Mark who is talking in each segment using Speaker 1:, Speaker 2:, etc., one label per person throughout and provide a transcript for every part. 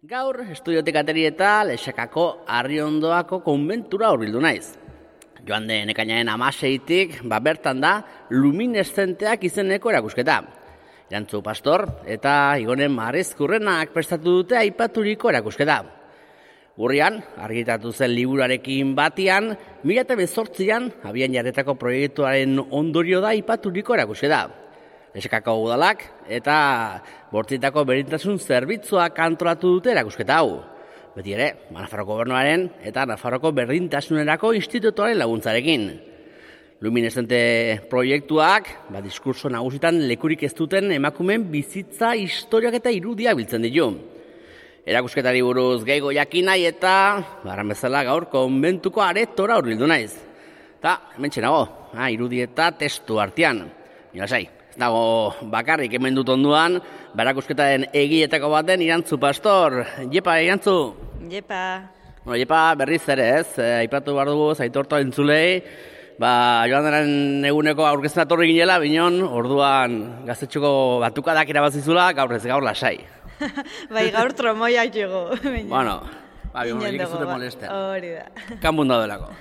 Speaker 1: Gaur, estudiotik ateri eta Lexakako Arriondoako konbentura hurbildu naiz. Joan den ekainaren 16-tik, bertan da lumineszenteak izeneko erakusketa. Irantzu Pastor eta Igonen Marezkurrenak prestatu dute aipaturiko erakusketa. Urrian, argitatu zen liburarekin batian, 2018an abian jarretako proiektuaren ondorio da aipaturiko erakusketa. Lexakako udalak eta bortzitako berdintasun zerbitzuak antolatu dute erakusketa hau. Beti ere, Nafarroko Gobernuaren eta Nafarroko Berdintasunerako Institutuaren laguntzarekin. Luminescente proiektuak, diskurso nagusitan lekurik ez duten emakumeen bizitza, historiak eta irudia biltzen ditu. Erakusketari buruz gehiago jakin nahi eta, barran bezala gaur konbentuko aretora hurbildu naiz. Eta, hementxe nago, irudi eta testu artean. Lasai, ez dago bakarrik hemen dut onduan, erakusketaren egietako baten Irantzu Pastor. Jepa, Irantzu?
Speaker 2: Jepa.
Speaker 1: Jepa berriz ere ez, aipatu behar dugu, zaitorto entzulei, joan denen eguneko aurkezten atorri ginela, binon, orduan gaztetxuko batukadak irabazizula, gaur ez gaur lasai.
Speaker 2: Bai, gaur tromoiak jugu.
Speaker 1: Bueno, bion, ez zute molesten.
Speaker 2: Hori da.
Speaker 1: Kanbun daudelako.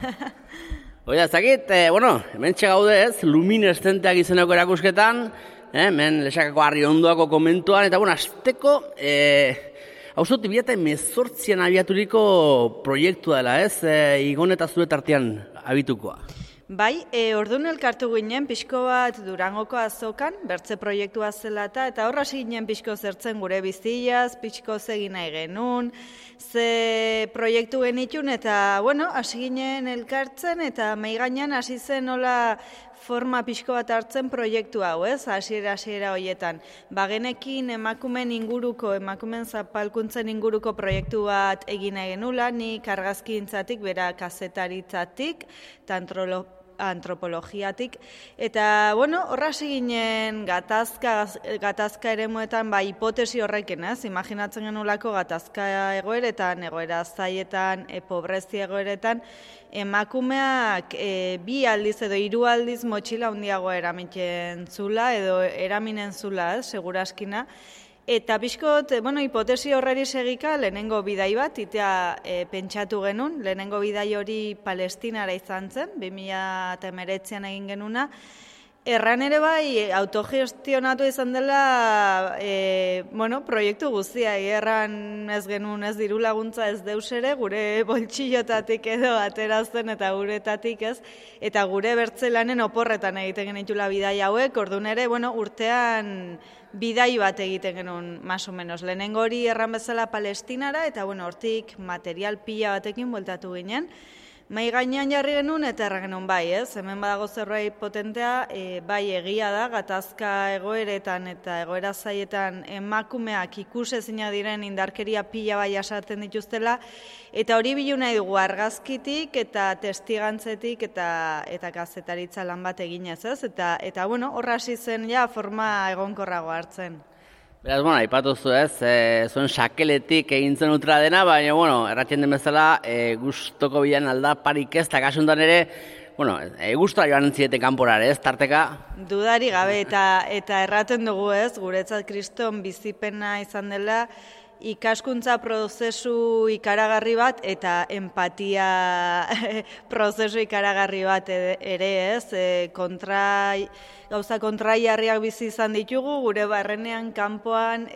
Speaker 1: Oida, zakit, hemen txegaude ez, lumineszenteak izeneko erakusketan, hemen Lexakako Arriondoako komentuan, eta azteko, hau zut, 2018an abiaturiko proiektua dela ez, Igon eta zure tartean abitukoa.
Speaker 2: Bai, orduan elkartu ginen pixko bat Durangoko azokan, bertze proiektua zela eta horra ginen pixko zertzen gure biztiaz, pixko zegin nahi genuen, ze proiektu genitun eta, hasi ginen elkartzen eta maigainan hasi zen nola forma pixko bat hartzen proiektu hau, ez? Hasiera horietan. Bagenekin emakumen zapalkuntzen inguruko proiektu bat egin nahi genula, nik argazkintzatik, bera kazetaritzatik, eta antropologiatik. Eta, horra ginen gatazka eremuetan, hipotesi horrekin, ez? Imaginatzen genulako gatazka egoeretan, egoera zaietan, pobrezia egoeretan, emakumeak 2 aldiz edo 3 aldiz motxila handiagoa eramiten zula edo eraminen zula, seguraskina. Eta pixkot, hipotesi horreri segika, lehenengo bidai bat, itea pentsatu genuen, lehenengo bidai hori Palestinara izan zen, 2019an egin genuna. Erran ere bai, autogestionatu izan dela, proiektu guztia, erran ez genuen ez diru laguntza ez deus ere, gure boltsillotatik edo aterazten eta guretatik ez, eta gure bertzelanen oporretan egiten genitula bidai hauek, orduan ere, urtean bidai bat egiten genuen, más o menos. Lehenengo hori erran bezala Palestinara, eta hortik material pila batekin bueltatu ginen. Mai gainean jarri genuen eta erra genuen bai, ez? Hemen badago zerbait potentea, bai egia da, gatazka egoeretan eta egoera zaietan emakumeak ikusezina diren indarkeria pila bai jasaten dituztela, eta hori bilu nahi dugu argazkitik eta testigantzetik eta kazetaritza lan bat eginez, ez? Eta horra hasi zen ja forma egonkorrago hartzen.
Speaker 1: Beraz, aipatuzu ez, zuen sakeletik egin zen utra dena, baina, erratien den bezala, gustoko bilan aldaparik ez, eta kasuntan ere, gustora joan ziete kanporare ez, tarteka?
Speaker 2: Dudari gabe, eta erraten dugu ez, guretzat kriston bizipena izan dela, ikaskuntza prozesu ikaragarri bat eta empatia prozesu ikaragarri bat ere ez, gauza kontraiarriak bizi izan ditugu, gure barrenean kanpoan,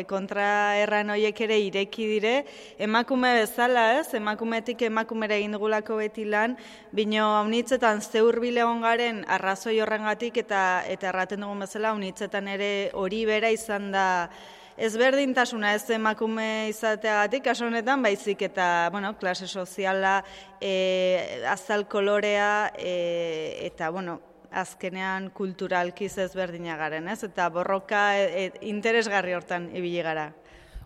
Speaker 2: kontra erran horiek ere ireki dire, emakume bezala ez, emakumetik emakumera egin dugulako beti lan, bino haunitzetan zeurbile egon garen arrazoi horrengatik eta erraten dugun bezala haunitzetan ere hori bera izan da, ezberdintasuna ez emakume izateagatik, kasu honetan baizik eta, klase soziala, azal kolorea, eta, azkenean kulturalkiz ezberdinagaren, ez? Eta borroka interesgarri hortan ibili gara.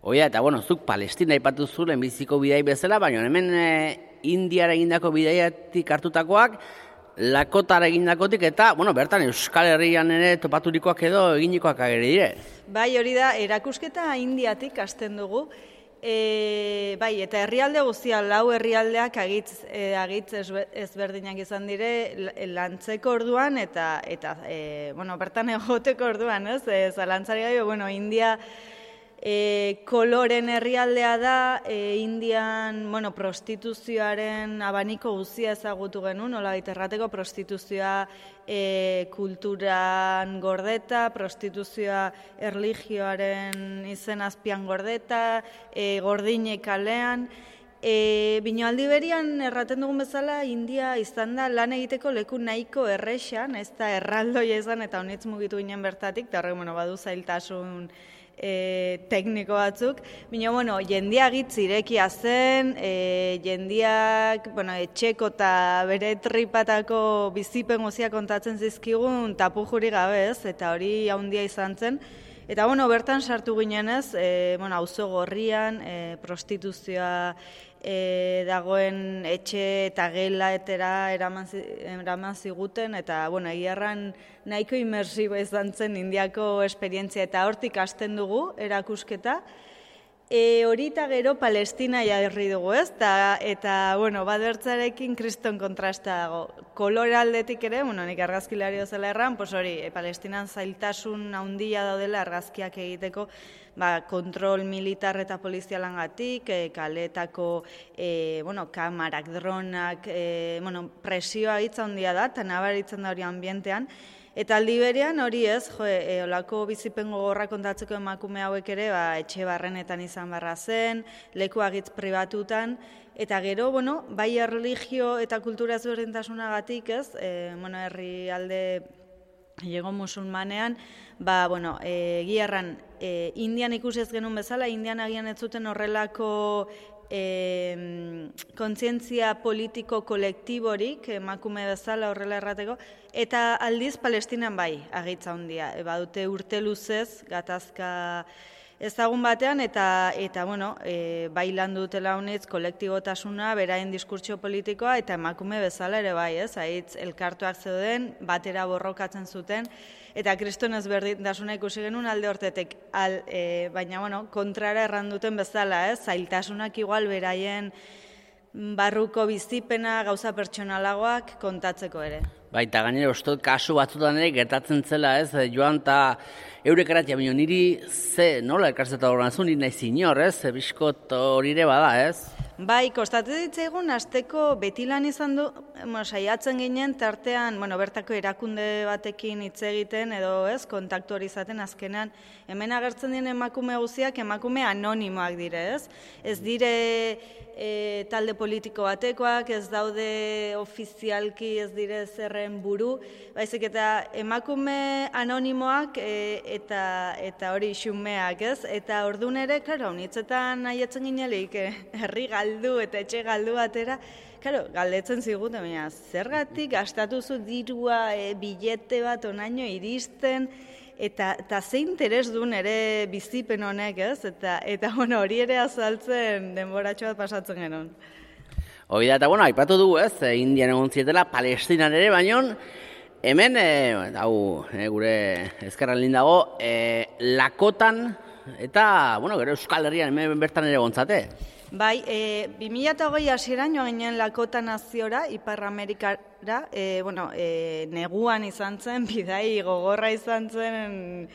Speaker 1: Oia, eta, zuk Palestina aipatu zu lehenbiziko bidai bezala, baina hemen Indiara egindako bidaiatik hartutakoak, Lakotara egindakotik eta, bertan Euskal Herrian ere topaturikoak edo eginikoak agere dire.
Speaker 2: Bai, hori da, erakusketa Indiatik hasten dugu. Bai, eta herrialde guztia, 4 herrialdeak agitz ezberdinak izan dire lantzeko orduan eta bertan egoteko orduan, ez? Zalantzari gai, India Koloren herrialdea da, Indian, prostituzioaren abaniko guztia ezagutu genuen, nolabait errateko prostituzioa kulturan gordeta, prostituzioa erlijioaren izen azpian gordeta, gordinek kalean. Bino aldi berian erraten dugun bezala, India izan da lan egiteko leku nahiko errexan, ez da erraldoia izan eta honitz mugitu ginen bertatik, eta horrek badu zailtasun tekniko batzuk. Bino, jendia gitz irekia zen, jendiak etxeko eta bere tripatako bizipen guzia kontatzen zizkigun tapu juri gabe ez, eta hori haundia izan zen. Eta bertan sartu ginenez, auzo gorrian, prostituzioa dagoen etxe eta gela etera eraman ziguten, eta egiarran nahiko imersibo izan zen Indiako esperientzia, eta hortik hasten dugu erakusketa. Hori eta gero Palestina jarri dugu ez, eta badertzarekin kriston kontrasta dago. Kolore aldetik ere, nik argazkilari zela erran, hori, Palestinan zailtasun handia daudela argazkiak egiteko, kontrol militar eta polizialangatik, kaletako kamarak, dronak, presioa hitza handia da, eta nabaritzen da hori ambientean. Eta aldi berean hori ez, olako bizipen gogorra kontatzeko emakume hauek ere, etxe barrenetan izan barra zen, leku agitz pribatutan, eta gero, bai erlijio eta kultura ezberdintasunagatik ez, herri alde Lego musulmanean, egiarran, Indian ikusi ez genuen bezala, Indian agian ez zuten horrelako kontzientzia politiko kolektiborik, emakume bezala horrela errateko, eta aldiz Palestinan bai, agitza handia. Badute urte luzez, gatazka ezagun batean, eta bai landu dutela honetz kolektibotasuna, beraien diskurtsio politikoa, eta emakume bezala ere bai, ez? Haitz elkartuak zeuden, batera borrokatzen zuten, eta kriston ezberdintasuna ikusi genuen alde hortetek, baina kontrara erranduten bezala, ez? Zailtasunak igual beraien barruko bizipena, gauza pertsonalagoak kontatzeko ere.
Speaker 1: Baita gainera, uste kasu batzutan ere gertatzen zela, ez? Joan eta eurek eratia, baina niri nola elkarzeta horren zu, niri nahi zinor, ez? Biskot hori ere bada, ez?
Speaker 2: Bai, kostatu ditzaigun, azteko beti lan izan du, saiatzen ginen, tartean, bertako erakunde batekin hitz egiten, edo ez, kontaktu hori izaten azkenan, hemen agertzen dien emakume guztiak, emakume anonimoak dire, ez? Ez dire talde politiko batekoak, ez daude ofizialki, ez dire zerren buru, baizik eta emakume anonimoak eta hori xumeak, ez? Eta orduan ere, klaro, honitzetan nahiatzen ginelik, herri galdu eta etxe galdu batera, klaro, galdetzen ziguten, baina zergatik gastatu zu dirua, bilete bat onaino iristen, eta ze interes duen ere bizipen honek, ez? Eta hori ere azaltzen denboratxo bat pasatzen genuen.
Speaker 1: Hoi da, eta aipatu dugu, ez? Indian egon zietela, Palestinan ere, baino, hemen, gure ezkerran lindago, Lakotan, eta, gero Euskal Herrian hemen bertan ere gontzate.
Speaker 2: Bai, 2008 hasieran joan ginen Lakota naziora, Ipar Amerikara, neguan izan zen, bidai gogorra izan zen,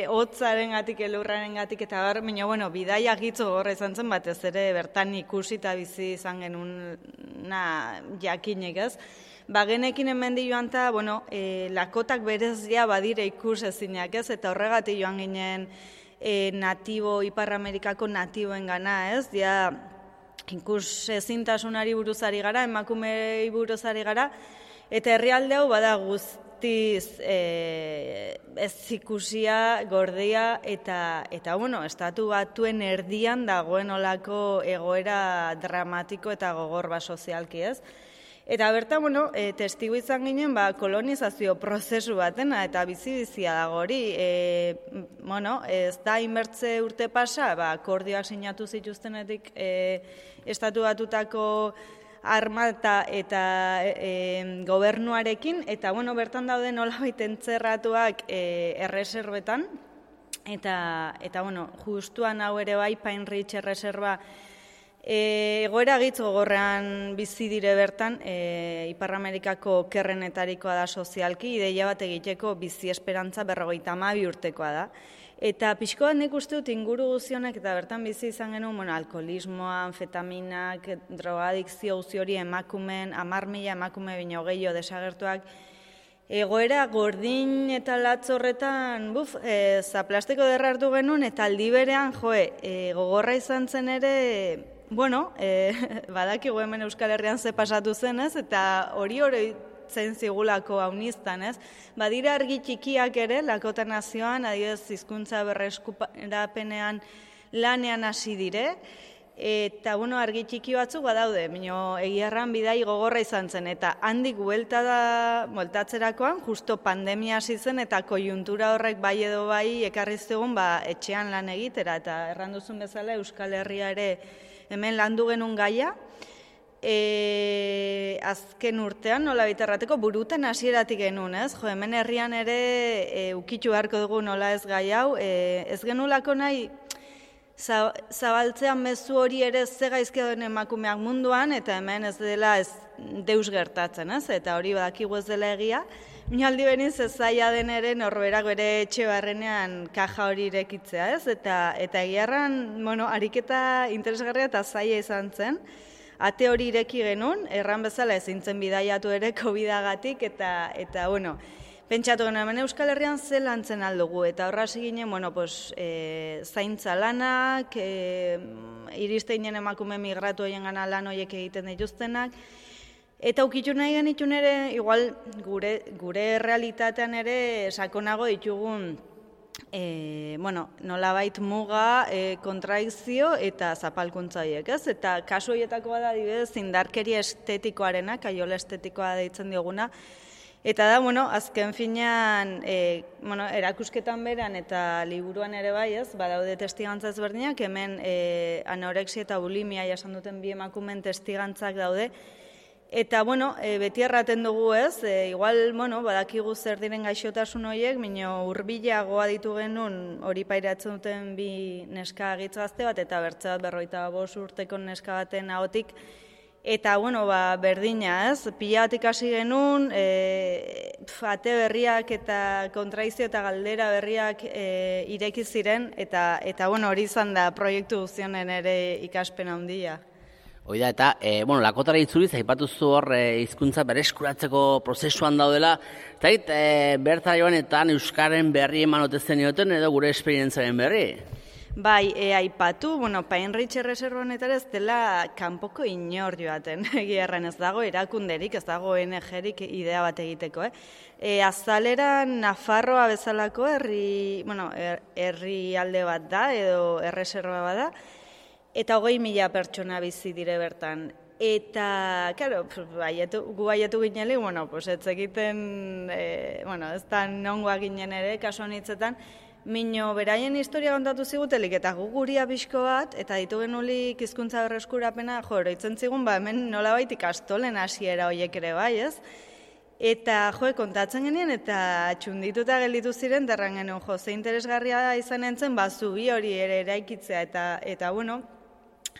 Speaker 2: hotzaren gatik, elurraren gatik, eta baina, bidai agitzo gogorra izan zen, batez ere bertan ikusi eta bizi izan genuen jakinek ez. Genekin hemendi joan eta, Lakotak berez badire ikus ezinak ez, eta horregatik joan ginen Ipar Amerikako natiboen gana, ez? Ikus ezintasunari buruzari gara, emakumei buruzari gara, eta herrialde hau bada guztiz ez ikusia, gordia, eta estatu batuen erdian dagoen olako egoera dramatiko eta gogor sozialki, ez? Eta bertan, testigu izan ginen, kolonizazio prozesu batena, eta bizi-bizia dago hori. Ez da inbertze urte pasa, akordioak sinatu zituztenetik estatu batutako armata eta gobernuarekin, eta bertan daude nolabait entzerratuak erreserbetan, eta justuan hau ere bai, Pine Ridge erreserba, egoera gitz gogorrean bizi dire bertan, Ipar Amerikako kerrenetarikoa da sozialki, ideia bat egiteko bizi esperantza 52 urtekoa da. Eta pixko bat nik uste dut inguru guzionek eta bertan bizi izan genuen, alkoholismoa, anfetaminak, drogadikzio guzti hori emakumeen, 10.000 emakume bino gehiago desagertuak, egoera gordin eta latz horretan, zaplasteko derra hartu genuen, eta aldi berean, gogorra izan zen ere, badakigu hemen Euskal Herrian ze pasatu zen, ez? Eta hori zen zigulako hauniztan, ez? Badira argi txikiak ere, Lakota Nazioan, adibidez hizkuntza berreskurapenean lanean hasi dire, eta, argi txiki batzuk badaude, baina egiarran bidai gogorra izan zen, eta handik bueltatzerakoan, justo pandemia hasi zen, eta kojuntura horrek bai edo bai ekarri zegoen etxean lan egitera, eta erranduzun bezala Euskal Herria ere hemen landu genuen gaia, azken urtean, nola biterrateko, buruten hasieratik genuen, ez? Hemen herrian ere ukitu beharko dugu nola ez gai hau, ez genulako nahi zabaltzean mezu hori ere ze gaizkia den emakumeak munduan, eta hemen ez dela ez deus gertatzen, ez? Eta hori badakigu ez dela egia. Minaldi beniz ez zaila den ere norberak bere etxe barrenean kaja hori irekitzea, ez? Eta egiarran, ariketa interesgarria eta zaila izan zen. Ate hori ireki genuen, erran bezala ezintzen bidaiatu ere COVID-agatik, eta pentsatu genuen, hemen Euskal Herrian ze lantzen aldugu, eta horra hasi ginen, zaintza lanak, iriste ginen emakume migratu horien gana lan horiek egiten dituztenak, eta ukitu nahi genitun ere, igual gure realitatean ere sakonago ditugun, nolabait muga, kontradikzio eta zapalkuntza horiek, ez? Eta kasu horietako bada adibidez indarkeria estetikoarena, kaiola estetikoa deitzen dioguna, eta da, azken finean, erakusketan beran eta liburuan ere bai, ez? Badaude testigantza ezberdinak, hemen anorexia eta bulimia jasan duten bi emakumeen testigantzak daude, eta, beti erraten dugu, ez? Igual, badakigu zer diren gaixotasun horiek, minio hurbilagoa ditu genuen hori pairatzen duten bi neska gazte bat, eta bertze bat 45 urteko neska baten ahotik, eta, berdina, ez? Pila batik hasi genuen, ate berriak eta kontradikzio eta galdera berriak ireki ziren, eta hori izan da proiektu guztionen ere ikaspen handia.
Speaker 1: Hoi da, eta, Lakotara itzuliz, aipatuzu hor hizkuntza bereskuratzeko prozesuan daudela, eta berta joanetan Euskaren berri eman ote zenioten edo gure esperientzaren berri?
Speaker 2: Bai, aipatu, Pine-Ridge erreserba honetara ez dela kanpoko inor joaten, egiarren ez dago erakunderik, ez dago ONG-rik idea bat egiteko, Azaleran Nafarroa bezalako herri alde bat da, edo erreserba bat da, eta 20.000 pertsona bizi dire bertan. Eta, karo, gu baiatu gineli, ez egiten, ez da nongoa ginen ere, kasu honitzetan, mino beraien historia kontatu zigutelik, eta gu guria pixko bat, eta ditu genulik hizkuntza berreskurapena, oroitzen zigun, hemen nolabait ikastolen hasiera horiek ere bai, ez? Eta, kontatzen genien, eta txundituta gelditu ziren, derran genuen, ze interesgarria izan entzen, zubi hori ere eraikitzea, eta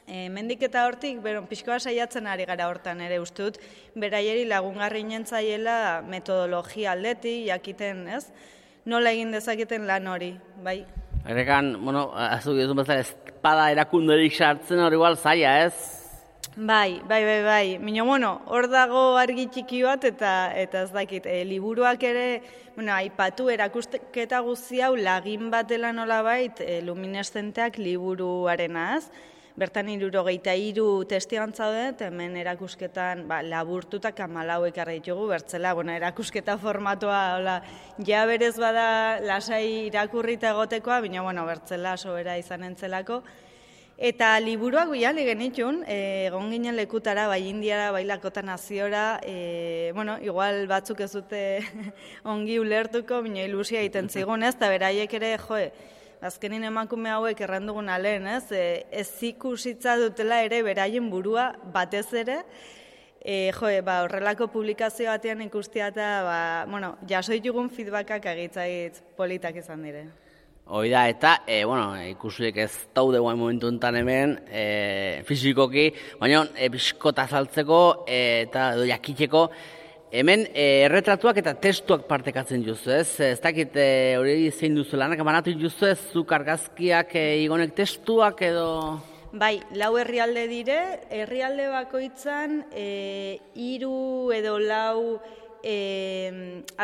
Speaker 2: mendik eta hortik, pixkoa saiatzen ari gara hortan ere ustut, beraieri lagungarri nintzaiela metodologia aldetik, jakiten, ez? Nola egin dezaketen lan hori, bai?
Speaker 1: Horrekan, azuk duzun bezala espada erakunderik sartzen hori igual zaila, ez?
Speaker 2: Bai. Mino, hor dago argi txiki bat eta ez dakit, liburuak ere, aipatu erakusketa guzti hau lagin bat dela nolabait lumineszenteak liburuarenaz, bertan 73 testigantza daude, hemen erakusketan laburtutak 14 ekarri ditugu, bertzela, erakusketa formatua, ja berez bada lasai irakurrita egotekoa, baina, bertzela sobera izan entzelako. Eta liburuak guiali genitun, egon ginen lekutara, bai Indiara, bai Lakota Naziora, igual batzuk ez dute ongi ulertuko, baina ilusia egiten zigun, ez, eta beraiek ere, azkenin emakume hauek errandugun alen, ez ikusitza dutela ere beraien burua batez ere, horrelako publikazio batean ikustia eta, jaso ditugun feedbackak agitzait politak izan dire.
Speaker 1: Hoi da, eta, ikusiek ez daude guain momentu enten hemen, fizikoki, baina, biskota azaltzeko eta jakiteko, Hemen erretratuak eta testuak partekatzen juzu, ez? Ez dakit hori zein duzu lanak, banatu juzu ez, zuk argazkiak igonek testuak edo...
Speaker 2: Bai, 4 herrialde dire, herrialde bakoitzan 3 edo 4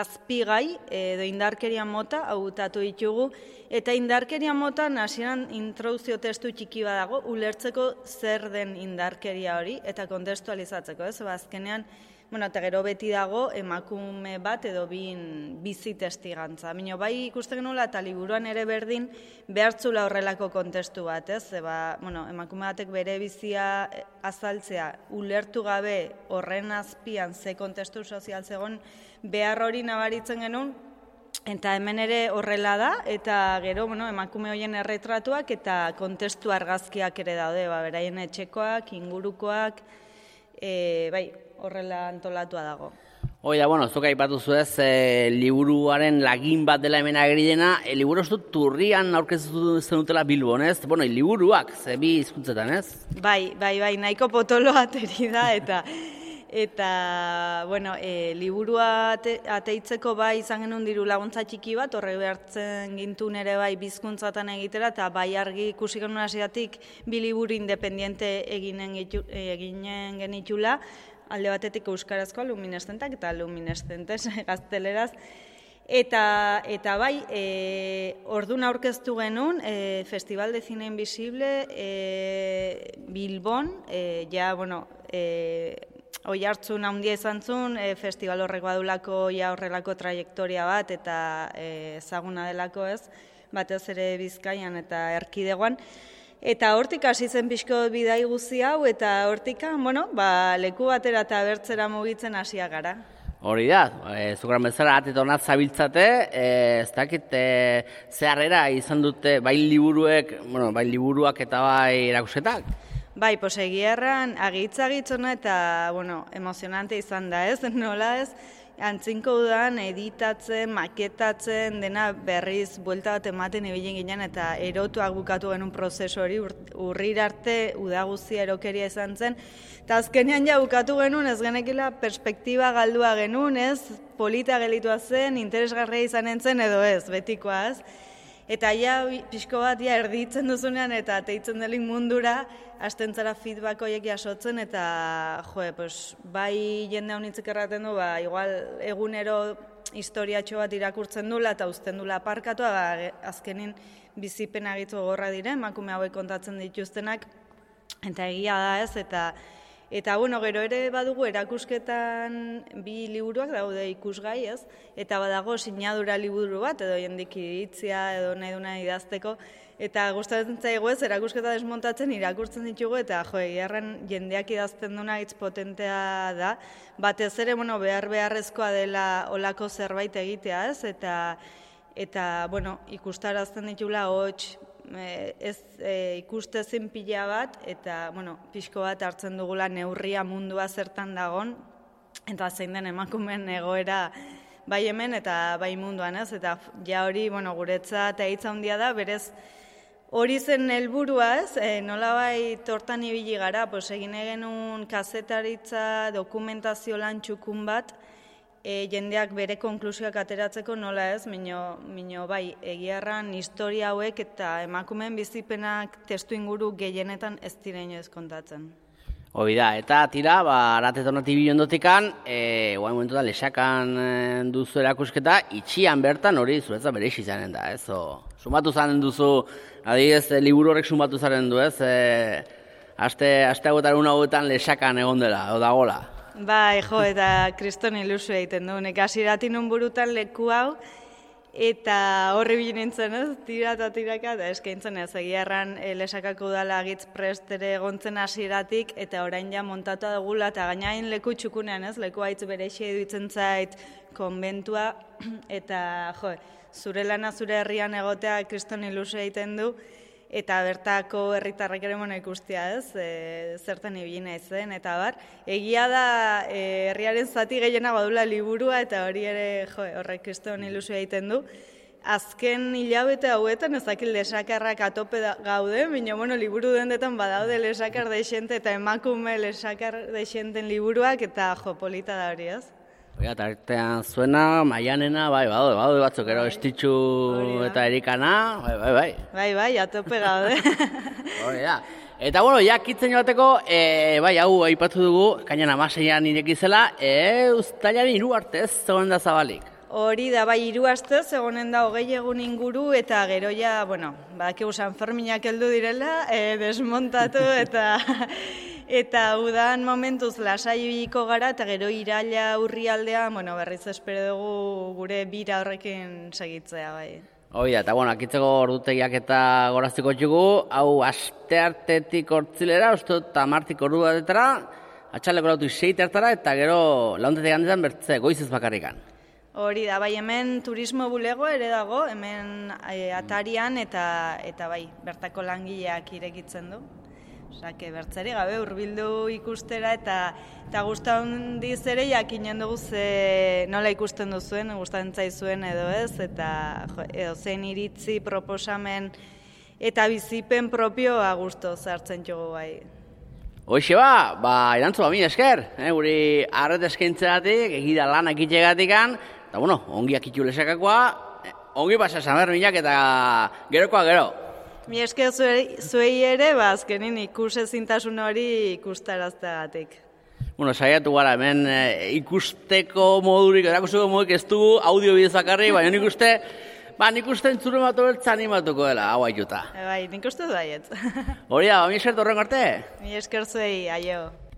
Speaker 2: azpigai edo indarkeria mota hautatu ditugu, eta indarkeria motan hasieran introduzio testu txiki badago, ulertzeko zer den indarkeria hori, eta kontestualizatzeko, ez? Azkenean, eta gero beti dago emakume bat edo bizi testigantza. Bino, bai ikusten genuela eta liburuan ere berdin behartzula horrelako kontestu bat, ez? Emakume batek bere bizia azaltzea ulertu gabe horren azpian ze kontestu sozial zegoen behar hori nabaritzen genuen, eta hemen ere horrela da, eta gero emakume horien erretratuak eta kontestu argazkiak ere daude, beraien etxekoak, ingurukoak, bai, horrela antolatua dago.
Speaker 1: Oida, zuk aipatu zuez, liburuaren lagin bat dela hemen ageri dena, liburu ez dut turrian aurkeztu zenutela Bilbon, ez? Liburuak, bi hizkuntzetan, ez?
Speaker 2: Bai, nahiko potolo ateri da, eta liburua ateitzeko bai izan genuen diru laguntza txiki bat, horre behartzen gintun ere bai bizkuntzatan egitera, eta bai argi ikusi genuen hasieratik bi liburu independiente eginen genitula, alde batetik euskarazkoa lumineszentak eta lumineszentes gazteleraz. Eta bai, ordun aurkeztu genuen Festival de Cine Invisible Bilbon, oihartzun handia izan zuen, festival horrek badulako horrelako trajektoria bat eta ezaguna delako ez, batez ere Bizkaian eta Erkidegoan. Eta hortik hasi zen pixko bidai guzti hau, eta hortikan, leku batera eta bertzera mugitzen hasia gara.
Speaker 1: Hori da, zukaran bezala atetonat zabiltzate, ez dakit zeharrera izan dute bai liburuak eta bai erakusketak?
Speaker 2: Bai, egia erran, agitz-ona eta, emozionante izan da ez, nola ez? Antzinko udan, editatzen, maketatzen, dena berriz buelta bat ematen ibilin ginen eta erotuak bukatu genuen prozesu hori, urrira arte uda guztia erokeria izan zen. Eta azkenean bukatu genuen, ez genekila perspektiba galdua genuen, ez? Polita gelitua zen, interesgarria izan zen edo ez, betikoaz. Eta pixko bat erditzen duzunean eta teitzen delik mundura, hasten zara feedback horiek jasotzen eta bai jende honitzik erraten du, igual egunero historiatxo bat irakurtzen dula eta uzten dula aparkatu, azkenin bizipen agitu gorra dire, emakume hauek kontatzen dituztenak, eta egia da ez, eta gero ere badugu erakusketan bi liburuak daude ikusgai, ez? Eta badago sinadura liburu bat, edo jendik iritzia, edo nahi duna idazteko, eta gustatzen zaigu ez, erakusketa desmontatzen irakurtzen ditugu, eta egiarren jendeak idazten duna hitz potentea da, batez ere, beharrezkoa dela olako zerbait egitea, ez? Eta ikustarazten ditula hots, ez ikustezin pila bat, eta pixko bat hartzen dugula neurria mundua zertan dagon, eta zein den emakumeen egoera bai hemen eta bai munduan, ez? Eta hori guretzat hitza handia da, berez hori zen helburua, ez? Nolabait hortan ibili gara, egin genuen kazetaritza dokumentazio lan txukun bat, jendeak bere konklusioak ateratzeko nola ez, mino bai, egiarran historia hauek eta emakumeen bizipenak testu inguru gehienetan ez dira inoiz kontatzen.
Speaker 1: Hoi da, eta tira, aratetonati bilondotikan, guain momentu da, lesakan duzu erakusketa, itxian bertan hori zuretza bere izanen da, ez? Sumatu zanen duzu, adibidez, liburu horrek sumatu zaren du, ez? Aste hauetan hauetan lesakan egon dela, o dagola.
Speaker 2: Bai, eta kriston ilusio egiten du. Nek hasiratik nun burutan leku hau, eta horri bilin nintzen, ez? Tira eta tiraka, eta eskaintzen ez. Egiarran lesakako udala agitz prest ere egontzen hasiratik, eta orain montatu dugula, eta gainain leku txukunean, ez? Leku haitz berexia eduitzen zait konbentua, eta zure lana zure herrian egotea kriston ilusio egiten du, eta bertako herritarrek ere ikustia, ez, zertan ibili naizen, eta bar. Egia da herriaren zati gehiena badula liburua, eta hori ere horrek kriston ilusio egiten du. Azken hilabete hauetan ezakil lesakarrak atope gaude, baina liburu dendetan badaude lesakar deixente eta emakume lesakar deixenten liburuak, eta polita da hori, ez?
Speaker 1: Oia, tartean zuena, Maianena, bai, baude batzuk, ero Estitxu eta Erikana, bai.
Speaker 2: Bai, atope gaude.
Speaker 1: Hori da. Eta, bueno, kitzen joateko, bai, hau aipatu dugu, kainan 16an irekizela, uztailaren 3 arte ez zegoen da zabalik.
Speaker 2: Hori da, bai, 3 astez, egonen da 20 egun inguru, eta gero ja, bueno, badakigu San Ferminak heldu direla, desmontatu, eta udan momentuz lasaiko gara, eta gero iraila urrialdean, bueno, berriz espero dugu gure bira horrekin segitzea, bai.
Speaker 1: Hoi da, eta bueno, akitzeko ordutegiak eta goraztiko txugu, hau asteartetik hortzilera, uste dut amartik ordu batetara, atxaleko lautu 6 hartara, eta gero launtetik handetan bertze goizez bakarrikan.
Speaker 2: Hori da, bai, hemen turismo bulego ere dago, hemen atarian eta bai, bertako langileak irekitzen du. Osake, bertzari gabe hurbildu ikustera eta gusta handiz ere jakinen dugu nola ikusten duzuen, gustatzen zaizuen edo ez, eta edo zen iritzi, proposamen eta bizipen propioa gusto zartzen jogu bai.
Speaker 1: Hoxe erantzu mila esker, guri arret eskaintzeratik, egida lanak itxegatikan, eta bueno, ongi akitu lesakakoa, ongi pasa San Ferminak eta gerokoa gero.
Speaker 2: Mi esker zuei ere, azkenin ikusezintasun hori ikustarazteagatik.
Speaker 1: Bueno, saiatu gara, hemen ikusteko modurik, erakusteko modurik ez dugu audio bidez bakarri, baina nik uste entzure matu bertza animatuko dela, hau aituta.
Speaker 2: Bai, nik uste daiet.
Speaker 1: Hori da, mi esker torren arte?
Speaker 2: Mi esker zuei, aio.